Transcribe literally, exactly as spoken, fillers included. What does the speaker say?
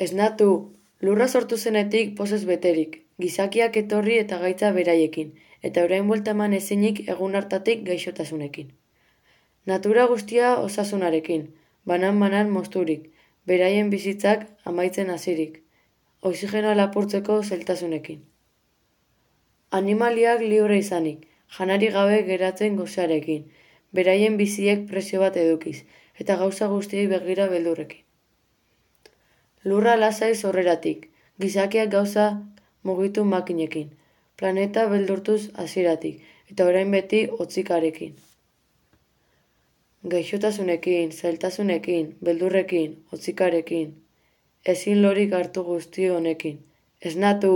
Esnatu, lurra sortu zenetik pozez beterik, gizakiak etorri eta gaitza beraiekin, eta orain buelta eman ezinik egun hartatik gaixotasunekin. Natura guztia osasunarekin, banan-banan mozturik, beraien bizitzak amaitzen hasirik, oxigenoa lapurtzeko zailtasunekin. Animaliak libre izanik, janari gabe geratzen gosearekin, beraien biziek presio bat edukiz, eta gauza guztiei begira beldurrekin. Lurra lasai zorreratik, gizakiak gauza mugitu makinekin, planeta beldurtuz hasieratik, eta orain beti hotzikarekin. Gaixotasunekin, zailtasunekin, beldurrekin, hotzikarekin, ezin lorik hartu guzti honekin. Esnatu!